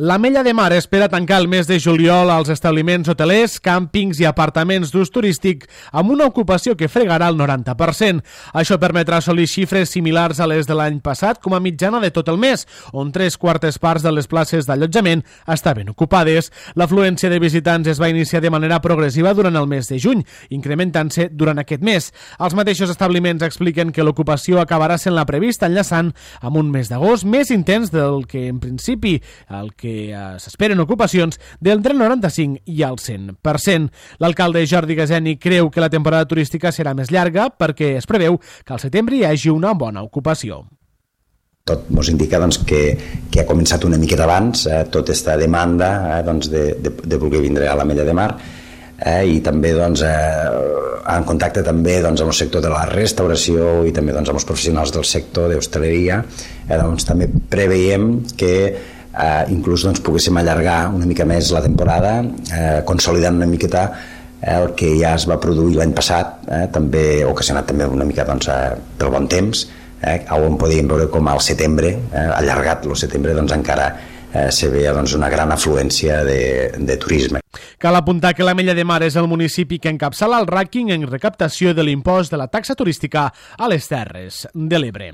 L'Ametlla de Mar espera tancar el mes de juliol als establiments hotelers, càmpings i apartaments d'ús turístic amb una ocupació que fregarà el 90%. Això permetrà assolir xifres similars a les de l'any passat com a mitjana de tot el mes, on 3/4 parts de les places d'allotjament estaven ocupades. L'afluència de visitants es va iniciar de manera progressiva durant el mes de juny, incrementant-se durant aquest mes. Els mateixos establiments expliquen que l'ocupació acabarà sent la prevista, enllaçant amb un mes d'agost més intens del que en principi s'esperen ocupacions d'entre el 95 i el 100%. L'alcalde Jordi Gaseni creu que la temporada turística serà més llarga perquè es preveu que al setembre hi hagi una bona ocupació. Tot ens indica que ha començat una miqueta abans tota aquesta demanda de voler vindre a l'Ametlla de Mar i també en contacte també amb el sector de la restauració i també amb els professionals del sector d'hostaleria. També preveiem que inclús poguéssim allargar una mica més la temporada, consolidant una miqueta el que ja es va produir l'any passat, també ocasionat també una mica pel bon temps, on podíem veure com al setembre, allargat el setembre, encara se veia una gran afluència de turisme. Cal apuntar que l'Ametlla de Mar és el municipi que encapçala el rànquing en recaptació de l'impost de la taxa turística a les Terres de l'Ebre.